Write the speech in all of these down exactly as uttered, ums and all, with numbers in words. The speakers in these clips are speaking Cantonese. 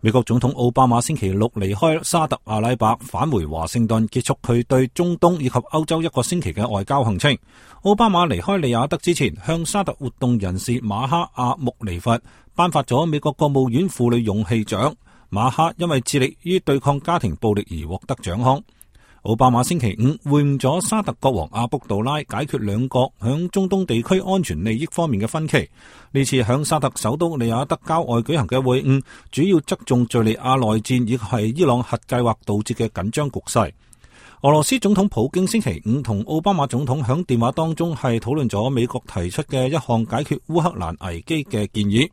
美國總統奧巴馬星期六離開沙特阿拉伯返回華盛頓，結束佢對中東以及歐洲一個星期嘅外交行程。奧巴馬離開利雅得之前，向沙特活動人士馬哈阿穆尼佛頒發咗美國國務院婦女勇氣獎。馬哈因為致力於對抗家庭暴力而獲得獎項。奧巴馬星期五會晤咗沙特國王阿卜杜拉，解決兩國響中東地區安全利益方面嘅分歧。呢次響沙特首都利雅得郊外舉行嘅會晤，主要側重敘利亞內戰以及係伊朗核計劃導致嘅緊張局勢。俄羅斯總統普京星期五同奧巴馬總統響電話當中係討論咗美國提出嘅一項解決烏克蘭危機嘅建議。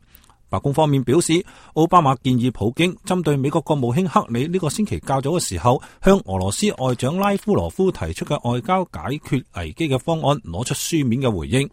白宮方面表示，奧巴馬建議普京針對美國國務卿克里呢個星期較早嘅時候向俄羅斯外長拉夫羅夫提出嘅外交解決危機嘅方案攞出書面嘅回應。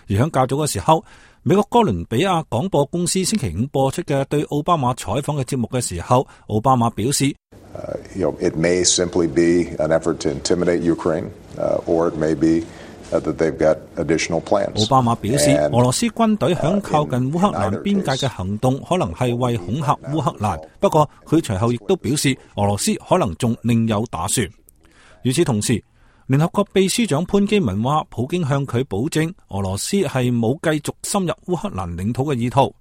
而響較早嘅時候，美國哥倫比亞廣播公司星期五播出嘅對奧巴馬採訪嘅節目嘅時候，奧巴馬表示Uh, you know, it may simply be an effort to intimidate Ukraine, uh, or it may be uh, that they've got additional plans. 奧巴馬表示，俄羅斯軍隊響靠近烏克蘭邊界嘅行動可能係為恐嚇烏克蘭，不過佢隨後亦都表示，俄羅斯可能仲另有打算。與此同時，聯合國秘書長潘基文話，普京向佢保證，俄羅斯係冇繼續深入烏克蘭領土嘅意圖。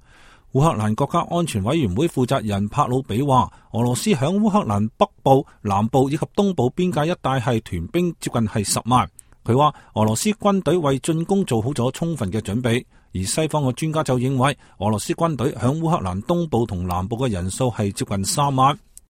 烏克蘭國家安全委員會負責人帕魯比話，俄羅斯響烏克蘭北部、南部以及東部邊界一帶係屯兵接近係十萬。佢話俄羅斯軍隊為進攻做好咗充分嘅準備，而西方嘅專家就認為俄羅斯軍隊響烏克蘭東部同南部嘅人數係接近三萬。